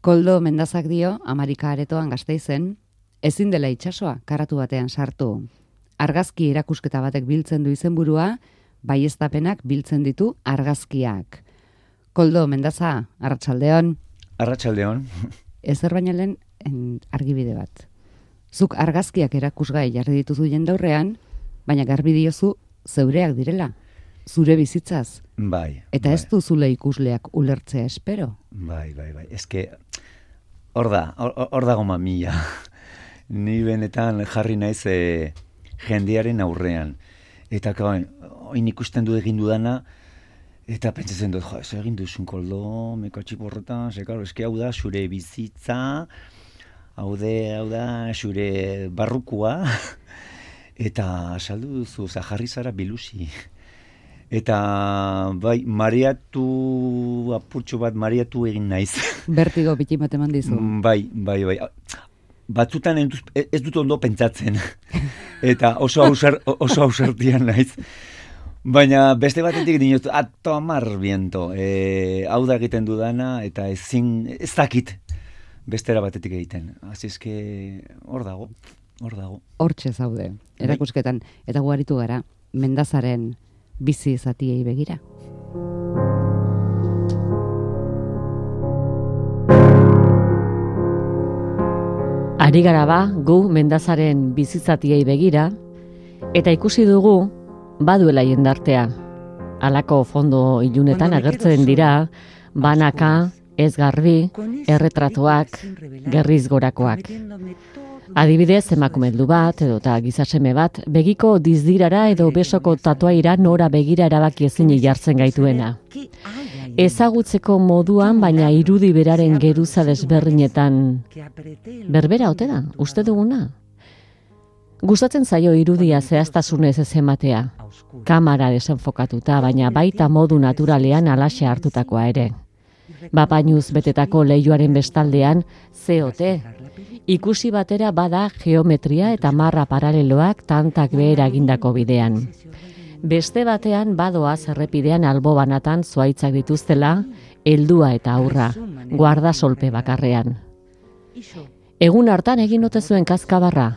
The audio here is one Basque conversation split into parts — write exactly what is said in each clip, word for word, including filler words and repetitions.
Koldo Mendazak dio, Amarika Aretoan Gasteizen, ezin dela itsasoa karatu batean sartu. Argazki erakusketa batek biltzen du izenburua, baieztapenak biltzen ditu argazkiak. Koldo Mendaza, arratsaldeon. Arratsaldeon. Ezer baina lehen argibide bat. Zuk argazkiak erakusgai jarri dituzu jendaurrean, baina garbi diozu zeureak direla, zure bizitzaz. Bai. Eta bai. ez duzule ikusleak ulertzea espero. Bai, bai, bai. Eske, hor da, hor dago mamia. Ni benetan jarri naiz e, jendearen aurrean. Eta oin ikusten du egin dudana, eta pentsatzen dut, jo, ez egin duzun Koldo, mekatxip horretan, ze, karo, eske hau da, zure bizitza, hau de, hau da, zure barrukua, eta saldu duzu, oza, jarri zara bilusi. Eta, bai, mareatu, apurtxo bat, mareatu egin naiz. Bertigo bitin bat eman dizu. Bai, bai, bai. Batzutan ez dut ondo pentsatzen. Eta oso ausar, oso ausartian naiz. Baina beste batetik dinot, a tomar viento. E, hau da egiten dudana, eta ezin, ez dakit bestera batetik egiten. Así es que hor dago, hor dago. Hortxe zaude, erakusketan. Eta guaritu gara, Mendazaren bizi zatiei begira. Ari gara ba, gu Mendazaren bizitzatiei begira, eta ikusi dugu baduela jendartea. Halako fondo ilunetan agertzen dira, banaka, ez garbi, erretratuak, gerriz gorakoak. Adibidez, emakume heldu bat, edo eta gizaseme bat, begiko dizdirara edo besoko tatuaira nora begira erabaki ezin jartzen gaituena. Ezagutzeko moduan, baina irudi beraren geruza desberdinetan berbera ote da, uste duguna? Gustatzen zaio irudia zehaztasunez ez ematea, kamara desenfokatuta, baina baita modu naturalean alaxe hartutakoa ere. Bapainuz betetako leihoaren bestaldean, ze ote? Ikusi batera bada geometria eta marra paraleloak tantak behera egindako bidean. Beste batean badoaz errepidean albo banatan zuaitzak dituztela, heldua eta aurra, guarda solpe bakarrean. Egun hartan egin ote zuen kazkabarra.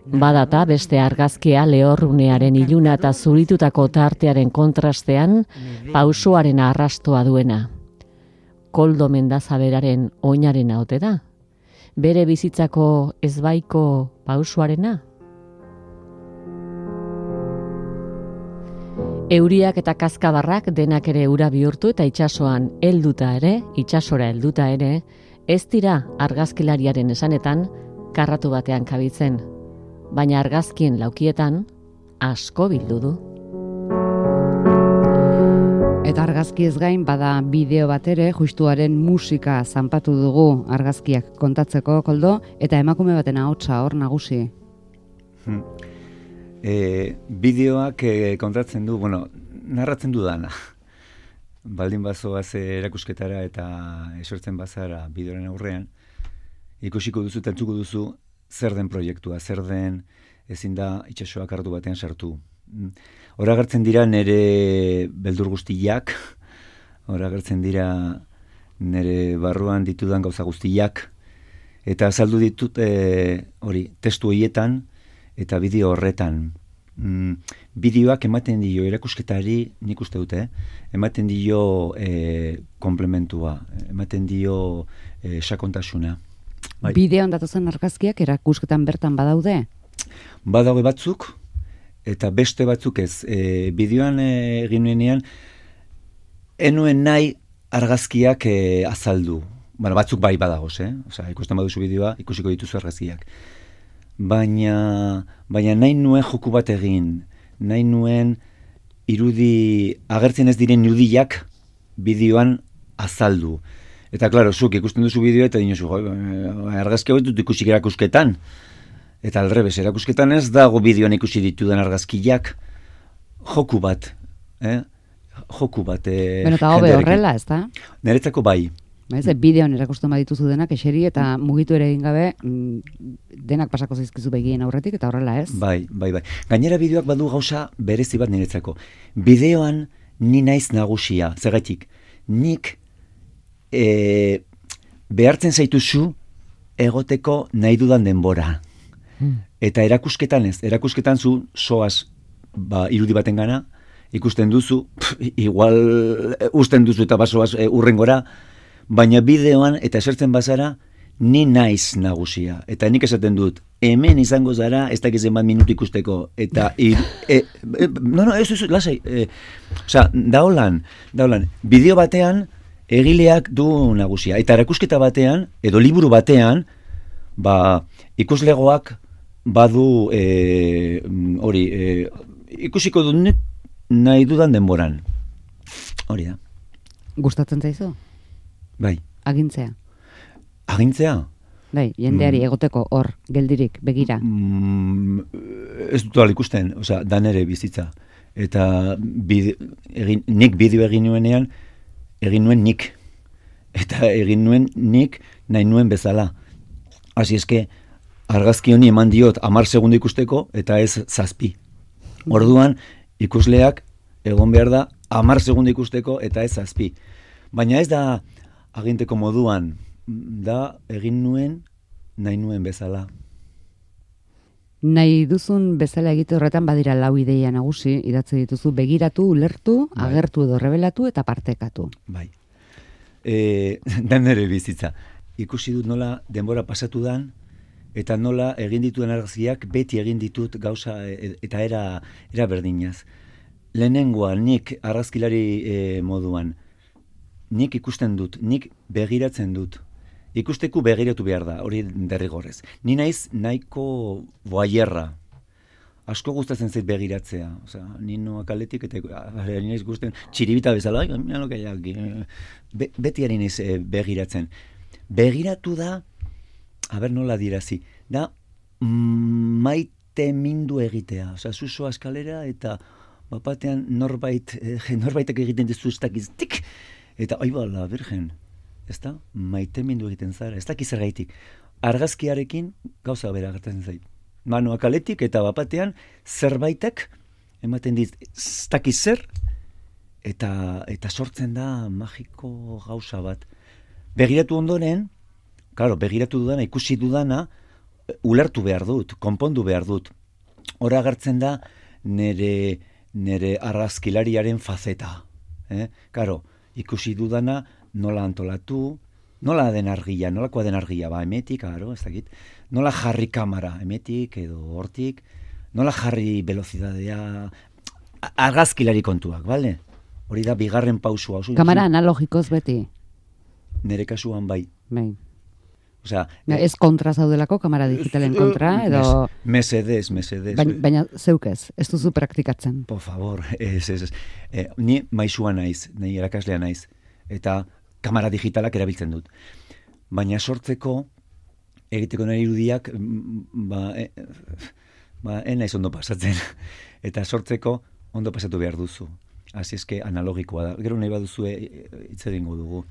Badata beste argazkia lehorrunearen iluna eta zuritutako tartearen kontrastean pausoaren arrastoa duena. Koldo Mendaza beraren oinarena ote da? Bere bizitzako ezbaiko pausoarena? Euriak eta kazkabarrak denak ere ura bihurtu eta itsasoan helduta ere, itsasora helduta ere, ez dira argazkilariaren esanetan karratu batean kabitzen, baina argazkien laukietan asko bildu du. Eta argazki ez gain, bada bideo bat ere, justuaren musika zanpatu dugu argazkiak kontatzeko, Koldo, eta emakume baten ahotsa hor nagusi. Hmm. E, bideoak e, kontatzen du, bueno, narratzen du dana. Baldin bazoaz erakusketara eta esortzen bazara bideoren aurrean, ikusiko duzu eta entzuko duzu zer den proiektua, zer den ezin da itsasoak hartu batean sartu. Hora agertzen dira nire beldur guztiak, hora agertzen dira nire barruan ditudan gauza guztiak, eta azaldu ditut e, hori testu horietan eta bideo horretan. Mm, bideoak ematen dio erakusketari, nik uste dute, ematen dio e, komplementua, ematen dio e, sakontasuna. Bai. Bideoan datozen argazkiak erakusketan bertan badaude? Badaude batzuk, eta beste batzuk ez. E, bideoan e, egin nuenean, enuen nahi argazkiak e, azaldu. Bueno, batzuk bai badagoz, eh? Osea, ikusten baduzu bideoa, ikusiko dituzu argazkiak. Baina, baina nahi nuen joku bat egin, nahi nuen irudi, agertzen ez diren irudiak bideoan azaldu. Eta, klaro, zuk ikusten duzu bideoa eta dinozu, argazki hau dut ikusik erakusketan. Eta alrebes, erakusketan ez dago bideoan ikusi ditudan argazkiak, joku bat, eh? Joku bat. Eh, Beno, eta hobe horrela, ez da? Niretzako bai. Ez, bideoan erakusten badituzu denak, eseri eta mugitu ere egin gabe, denak pasako zaizkizu begien aurretik, eta horrela ez? Bai, bai, bai. Gainera bideoak badu gauza berezi bat niretzako. Bideoan ni naiz nagusia, zergatik, nik e, behartzen zaituzu egoteko nahi dudan denbora. Hmm. Eta erakusketan ez, erakusketan zu soaz ba, irudi baten gana, ikusten duzu, pff, igual usten duzu eta basoaz e, urrengora, baina bideoan eta esertzen bazara, ni naiz nagusia. Eta nik esaten dut, hemen izango zara, ez dakizen bat minutu ikusteko. Eta, ir, e, e, no, no, ez, ez, lasai. E, Osa, daolan, daolan, bideo batean, egileak du nagusia. Eta erakusketa batean, edo liburu batean, ba, ikuslegoak badu e, hori, e, ikusiko dut nahi dudan denboran. Hori da. Gustatzen zaizu? Bai. Agintzea? Agintzea? Bai, jendeari mm. egoteko hor, geldirik, begira. Mm, ez dut ala ikusten, osea, dan ere bizitza. Eta bide, egin, nik bideo egin nuenean, egin nuen nik. Eta egin nuen nik nahi nuen bezala. Hasi eske, argazki honi eman diot hamar segundo ikusteko, eta ez zazpi. Orduan, ikusleak egon behar da hamar segundo ikusteko, eta ez zazpi. Baina ez da aginteko moduan, da egin nuen nahi nuen bezala. Nahi duzun bezala egite horretan badira lau ideia nagusi, idatzi dituzu begiratu, ulertu, bai. Agertu edo rebelatu eta partekatu. Bai. E, dan ere bizitza. Ikusi dut nola denbora pasatu dan, eta nola egin dituen argazkiak beti egin ditut gauza eta era, era berdinaz. Lehenengoa nik argazkilari e, moduan, nik ikusten dut, nik begiratzen dut. Ikusteku begiratu behar da, hori derrigorrez. Ni naiz nahiko boaierra. Asko gustatzen zait begiratzea. Osea, ni noak aletik eta ni naiz gusten txiribita bezala, mira lo que hay aquí. Be, beti ari naiz e, begiratzen. Begiratu da, a ber nola dirazi, da mm, maite mindu egitea. Osea, zuzo eskalera eta bapatean norbait, eh, norbaitek egiten dizu ez dakiz, tik! Eta, oi bala, virgen, ez da, maite mindu egiten zara, ez dakiz ergaitik. Argazkiarekin gauza bera gertatzen zait. Manoak aletik eta bapatean zerbaitek ematen dit, ez dakiz zer, eta, eta sortzen da magiko gauza bat. Begiratu ondoren, claro, begiratu dudana, ikusi dudana, ulertu behar dut, konpondu behar dut. Hora agertzen da nere, nere argazkilariaren fazeta. Eh? Claro, ikusi dudana nola antolatu, nola den argia, nolakoa den argia, ba, emetik, claro, ez dakit, nola jarri kamera, emetik edo hortik, nola jarri velozidadea, argazkilari kontuak, bale? Hori da bigarren pausua. Kamera analogikoz beti? Nere kasuan bai. Bai. Osea, ez kontra zaudelako, kamera digitalen kontra, edo... Mesedez, mesedez. Baina, baina zeuk ez, ez duzu praktikatzen. Por favor, ez, ez, ez. E, ni maisua naiz, nahi erakaslea naiz, eta kamera digitalak erabiltzen dut. Baina sortzeko, egiteko nahi irudiak, ba, e, ba, en naiz ondo pasatzen. Eta sortzeko ondo pasatu behar duzu. Asi eske analogikoa da. Gero nahi baduzu hitz egingo dugu.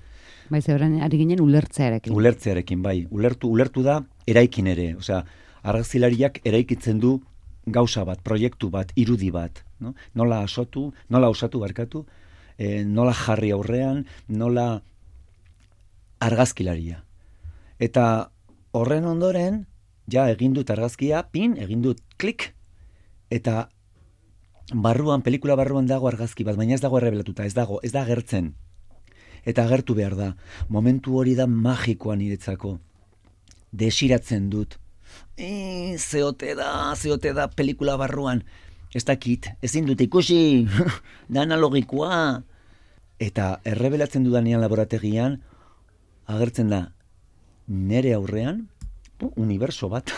Bai, zebran ari ginen ulertzearekin. Ulertzearekin, bai. Ulertu, ulertu da eraikin ere. Osea, argazkilariak eraikitzen du gauza bat, proiektu bat, irudi bat. No? Nola asotu, nola osatu barkatu, e, nola jarri aurrean, nola argazkilaria. Eta horren ondoren, ja egin dut argazkia, pin, egin dut klik, eta barruan, pelikula barruan dago argazki bat, baina ez dago errebelatuta, ez dago, ez da agertzen. Eta agertu behar da. Momentu hori da magikoa niretzako. Desiratzen dut. E, zeote da, zeote da pelikula barruan. Ez dakit, ezin dut ikusi, da analogikoa. Eta errebelatzen dudanean laborategian, agertzen da, nere aurrean, uniberso bat,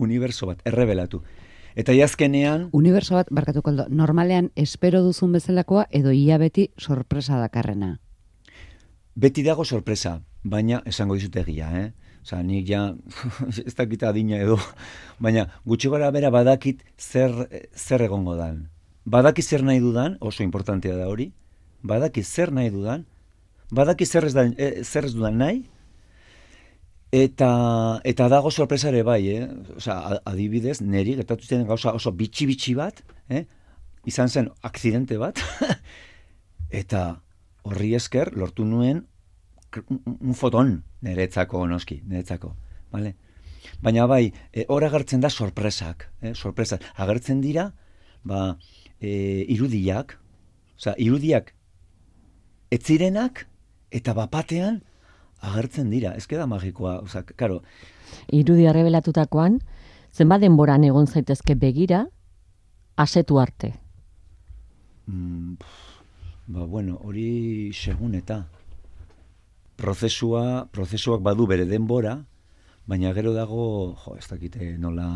uniberso bat, errebelatu. Eta jazkenean... Uniberso bat, barkatuko aldo, normalean espero duzun bezalakoa edo ia beti sorpresa dakarrena? Beti dago sorpresa, baina esango dizut egia, eh? Osa, nik ja, ez dakit adina edo, baina gutxi gara bera badakit zer, zer egongo dan. Badakit zer nahi dudan, oso importantea da hori, badakit zer nahi dudan, badakit zer ez, da, eh, zer ez dudan nahi, eta, eta dago sorpresare bai, eh? Osa, adibidez, neri gertatu zen gauza oso bitxi-bitxi bat, eh? Izan zen akzidente bat, eta... Horri esker, lortu nuen un, un foton niretzako noski, niretzako, vale? Baina bai, e, hor agertzen da sorpresak, eh? sorpresak. Agertzen dira, ba, e, irudiak, osea, irudiak etzirenak eta bapatean agertzen dira. Ez da magikoa, osea, karo. Irudia rebelatutakoan, zenbat denboran egon zaitezke begira, asetu arte? Mm, ba, bueno, hori segun eta prozesua, prozesuak badu bere denbora, baina gero dago, jo, ez dakite nola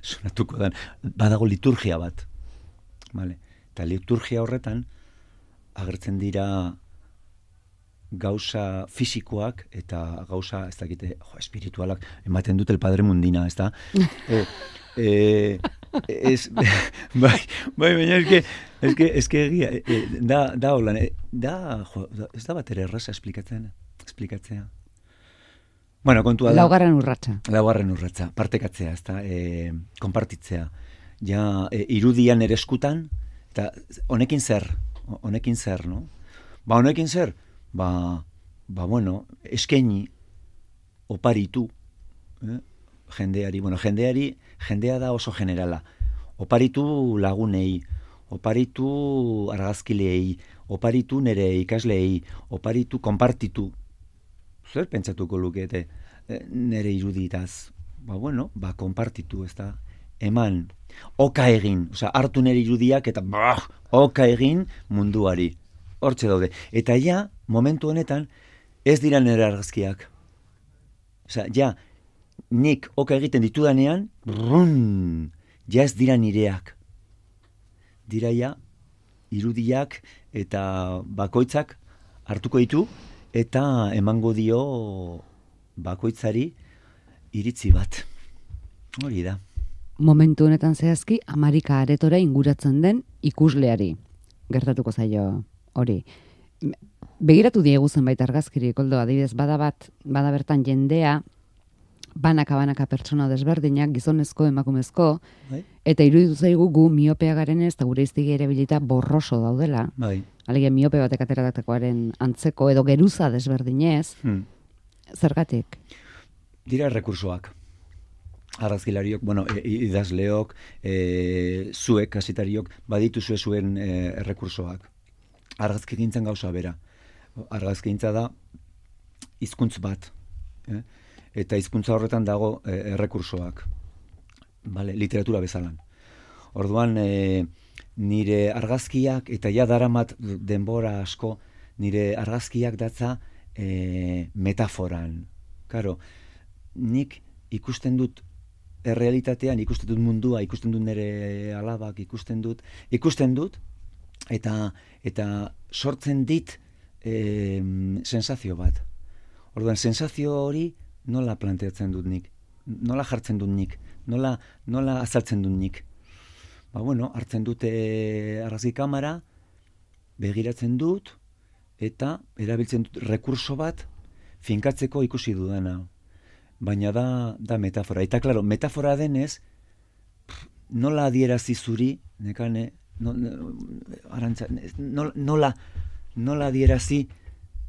sonatuko dan, badago liturgia bat. Vale. Eta liturgia horretan agertzen dira gauza fisikoak eta gauza, ez dakite, jo, espiritualak, ematen dut el Padre Mundina, ez da? e, e, ez, bai, bai, baina eske, eske, eske egia, e, da, da holan, e, da, jo, ez da bat ere erraza esplikatzen, esplikatzea. Bueno, kontua da. Laugarren urratsa. Laugarren urratsa, partekatzea, ez da, e, konpartitzea. Ja, e, irudian ere eskutan, eta honekin zer, honekin zer, no? Ba, honekin zer, ba, ba bueno, eskaini, oparitu, eh? jendeari, bueno, jendeari, jendea da oso generala. Oparitu lagunei, oparitu argazkileei, oparitu nere ikasleei, oparitu konpartitu. Zer pentsatuko lukete nere iruditaz? Ba, bueno, ba, konpartitu, ez da, eman, oka egin, osea, hartu nere irudiak eta bah, oka egin munduari. Hortxe daude. Eta ja, momentu honetan, ez dira nere argazkiak. Osea, ja, nik oka egiten ditudanean, brrrun, ja ez dira nireak. Dira ja, irudiak eta bakoitzak hartuko ditu, eta emango dio bakoitzari iritzi bat. Hori da. Momentu honetan zehazki, Amarika Aretora inguratzen den ikusleari. Gertatuko zaio hori. Begiratu diegu zenbait argazkiri, Koldo, adibidez, bada bat, bada bertan jendea, banaka-banaka pertsona desberdinak, gizonezko, emakumezko, Bai. eta iruditu zaigu gu miopea garen ez, eta gure iztegi ere bilita borroso daudela. Bai. Alegia miope batek ateratakoaren antzeko, edo geruza desberdinez, Hmm. zergatik? Dira errekursoak. Argazkilariok, bueno, e, idazleok, e, zuek, kasetariok, badituzue zuen e, errekursoak. Argazkigintzan gauza bera. Argazkigintza da hizkuntz bat. Eh? Eta hizkuntza horretan dago e, errekursoak. Vale, literatura bezalan. Orduan, e, nire argazkiak, eta ja daramat denbora asko, nire argazkiak datza e, metaforan. Karo, nik ikusten dut errealitatean, ikusten dut mundua, ikusten dut nire alabak, ikusten dut, ikusten dut, eta eta sortzen dit e, sensazio bat. Orduan, sensazio hori nola planteatzen dut nik, nola jartzen dut nik, nola, nola azaltzen dut nik. Ba, bueno, hartzen dute argazki kamera, begiratzen dut, eta erabiltzen dut rekurso bat finkatzeko ikusi dudana. Baina da, da metafora. Eta, klaro, metafora denez, pff, nola adierazi zuri, nekane, no, no, arantza, nola, nola, nola adierazi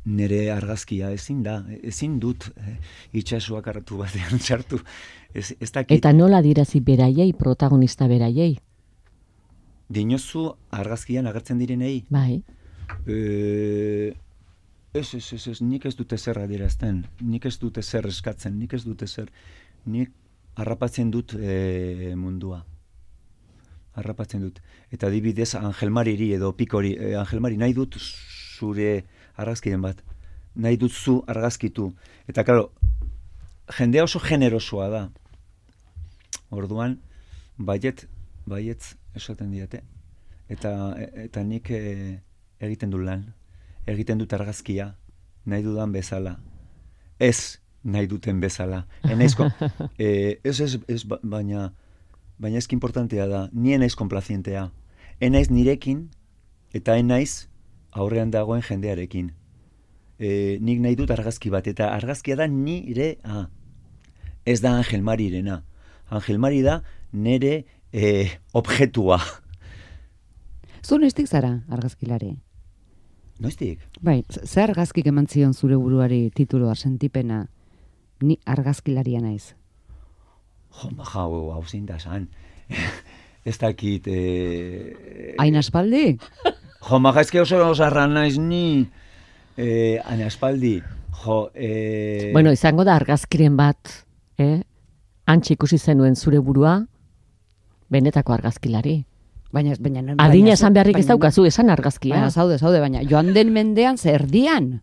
nire argazkia, ezin da, ezin dut eh, itxasuak hartu batean sartu. Ez, ez dakit. Eta nola adierazi beraiei, protagonista beraiei? Dinozu argazkian agertzen direnei? Bai. E, ez, ez, ez, ez, nik ez dute zer adierazten, nik ez dute zer eskatzen, nik ez dute zer, nik harrapatzen dut e, mundua. Harrapatzen dut. Eta adibidez Angel Mariri edo Pikori, e, Angel Mari, nahi dut zure argazkiren bat, nahi dut zu argazkitu. Eta, klaro, jendea oso generosoa da. Orduan, baiet, baietz esaten diate. Eta, eta nik e, egiten dut lan, egiten dut argazkia, nahi dudan bezala. Ez nahi duten bezala. Enaizko, e, ez, ez, ez, baina, baina ezki importantea da, ni enaiz konplazientea. Enaiz nirekin, eta enaiz aurrean dagoen jendearekin. E, nik nahi dut argazki bat, eta argazkia da nire, ah, ez da Angel Marirena. Angel Mari da nire e, objetua. Zu nestik zara argazkilari? Noiztik? Bai, ze argazkik eman zion zure buruari tituloa, sentipena, ni argazkilaria naiz? Jo, maja, hau, hau zein da san. Ez dakit... Eh, Hain aspaldi? Jo, maja, ezke oso osarra naiz ni... Eh, hain aspaldi. Jo, eh... Bueno, izango da argazkiren bat, eh? Antxe ikusi zenuen zure burua, benetako argazkilari. Baina, baina, Adina esan beharrik ez baina- daukazu, esan argazkia. Baina, zaude, zaude, baina, joan den mendean zerdian.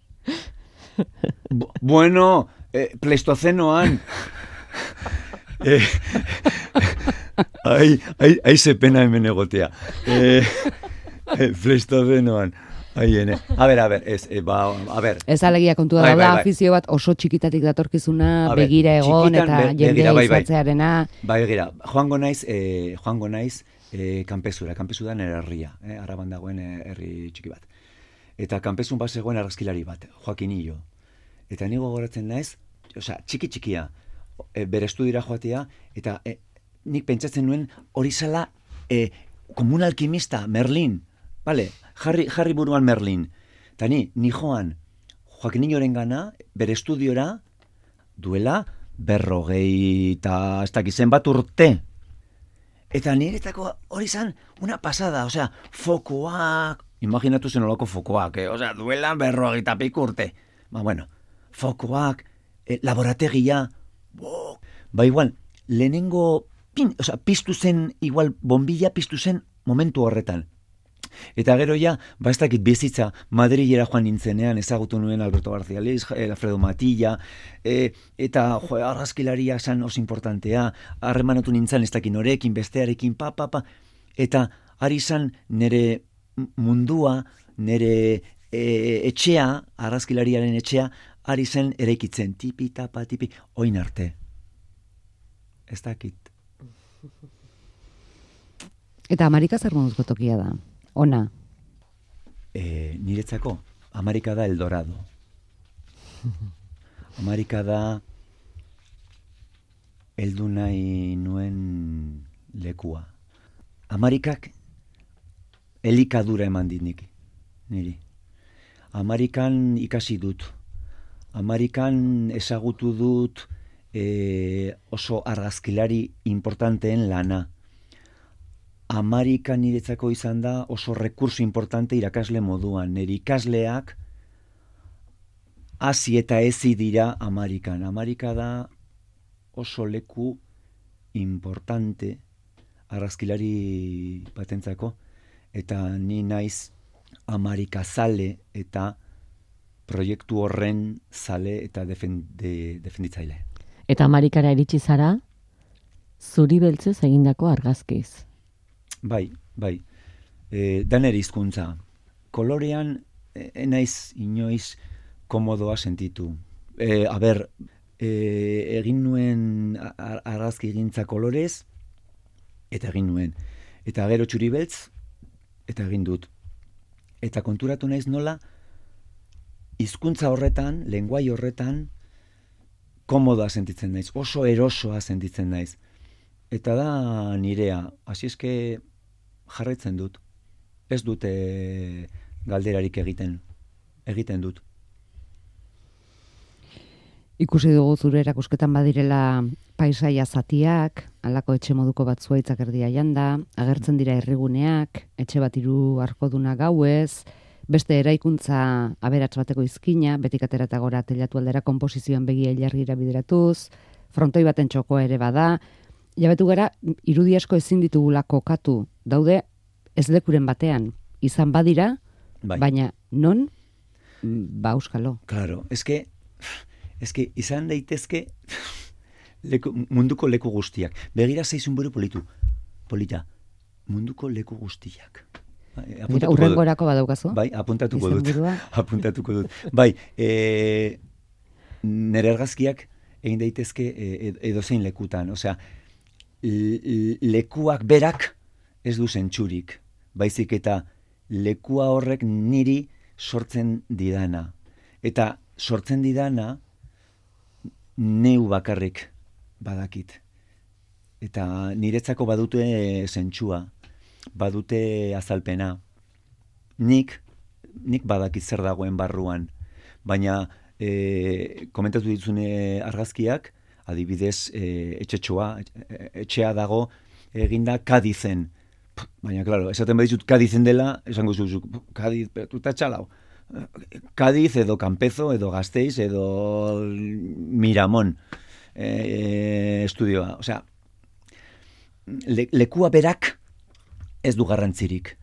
Bu- bueno, eh, pleistocenoan. eh, ai, ai, ai ze pena hemen egotea. Eh, eh, pleistocenoan. Ai, ene. A ber, a ber, ez, eh, ba, a ber. Ez alegia kontua Bai, da, bai, da bai. afizio bat oso txikitatik datorkizuna, A ber, begira egon txikitan eta be- jendea begira, bai, bai. izatzearena. Bai, gira, joango naiz, eh, joango naiz eh, kanpezura. Kanpezu da nere herria, eh, Araban dagoen eh, herri txiki bat. Eta kanpezun bat zegoen argazkilari bat, Joaquin Hillo. Eta ni gogoratzen naiz, osea, txiki txikia, e, bere estudiora joatea, eta e, nik pentsatzen nuen hori zela e, como un alquimista, Merlin, vale? Jarri, jarri buruan Merlin. Eta ni, ni joan, Joaquin Hilloren gana, bere estudiora, duela berrogei eta ez dakizen bat urte. Eta niretako hori zan una pasada, osea, fokoak, imaginatu zen olako fokoak, eh? Osea, duela berrogeita piku urte. Ba, bueno, fokoak, eh, laborategia, bo, ba, igual, lehenengo, pin, osea, piztu zen, igual, bombilla piztu zen momentu horretan. Eta gero ja, ba ez dakit bizitza, Madrilera joan nintzenean, ezagutu nuen Alberto García Leis, Alfredo Matilla, e, eta jo, argazkilaria zan oso importantea, harremanatu nintzen ez dakit norekin, bestearekin, pa, pa, pa, eta ari zan nere mundua, nere e, etxea, argazkilariaren etxea, ari zen eraikitzen, tipi, tapa, tipi, oin arte. Ez dakit. Eta Amerika zer moduzko tokia da? Ona. E, niretzako, Amerika da Eldorado. Amerika da heldu nahi nuen lekua. Amerikak elikadura eman dit nik, niri. Amerikan ikasi dut. Amerikan ezagutu dut e, oso argazkilari importanteen lana. Amerika niretzako izan da oso rekurso importante irakasle moduan. Nire ikasleak hasi eta ezi dira Amerikan. Amerika da oso leku importante argazkilari batentzako, eta ni naiz Amerika zale eta proiektu horren zale eta defende, defenditzaile. Eta Amerikara iritsi zara, zuri beltzez egindako argazkiz. Bai, bai. E, daner hizkuntza. Kolorean e, enaiz inoiz komodoa sentitu. E, a ber, e, egin nuen ar- argazki egintza kolorez, eta egin nuen. Eta gero txuri beltz, eta egin dut. Eta konturatu naiz nola, hizkuntza horretan, lenguai horretan, komodoa sentitzen naiz, oso erosoa sentitzen naiz. Eta da nirea, hasi eske jarraitzen dut. Ez dut e, galderarik egiten. Egiten dut. Ikusi dugu zure erakusketan badirela paisaia zatiak, halako etxe moduko bat zuaitzak erdia janda, agertzen dira herriguneak, etxe bat hiru arkoduna gauez, beste eraikuntza aberats bateko izkina, betik atera eta gora telatu aldera konposizioan begia ilargira bideratuz, frontoi baten txokoa ere bada, jabetu gara, irudi asko ezin ditugula kokatu, daude ez lekuren batean, izan badira, Bai. baina non, ba euskalo. Claro, eske, eske izan daitezke leku, munduko leku guztiak. Begira zaizun buru politu. Polita. Munduko leku guztiak. Bai, Mira, apuntatuko dut. urrengorako badaukazu? Bai, apuntatuko dut. Izenburua? Apuntatuko dut. Bai, e, nere argazkiak egin daitezke e, edozein lekutan. Osea, l- lekuak berak ez du zentsurik. Baizik eta lekua horrek niri sortzen didana. Eta sortzen didana neu bakarrik badakit. Eta niretzako badute zentsua, badute azalpena. Nik nik badakit zer dagoen barruan, baina e, komentatu ditzune argazkiak, adibidez, e, etxetxoa, etxea dago eginda Kadizen. Baina, klaro, esaten badizut Kadizen dela, esango zuzuk, Kadiz, tuta txalau. Kadiz edo Kanpezo, edo Gasteiz, edo Miramon e, estudioa. Osea, le, lekua berak ez du garrantzirik.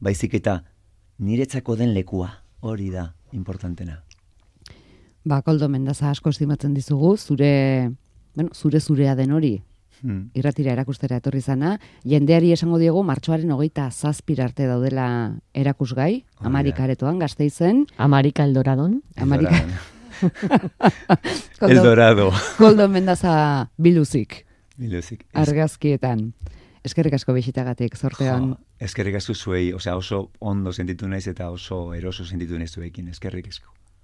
Baizik eta niretzako den lekua, hori da importantena. Ba, Koldo Mendaza asko estimatzen dizugu, zure, bueno, zure zurea den hori, hmm. irratira erakustera etorri zana, jendeari esango diegu martxoaren hogeita zazpira arte daudela erakusgai, oh, Amarika aretoan, Gasteizen. Amarika Eldoradon. Amarika. Koldo, Eldorado. Koldo Mendaza biluzik. Biluzik. Argazkietan. Eskerrik asko bisitagatik, zortean. Jo, eskerrik asko zuei, osea oso ondo sentitu naiz eta oso eroso sentitu naiz zuekin, eskerrik asko.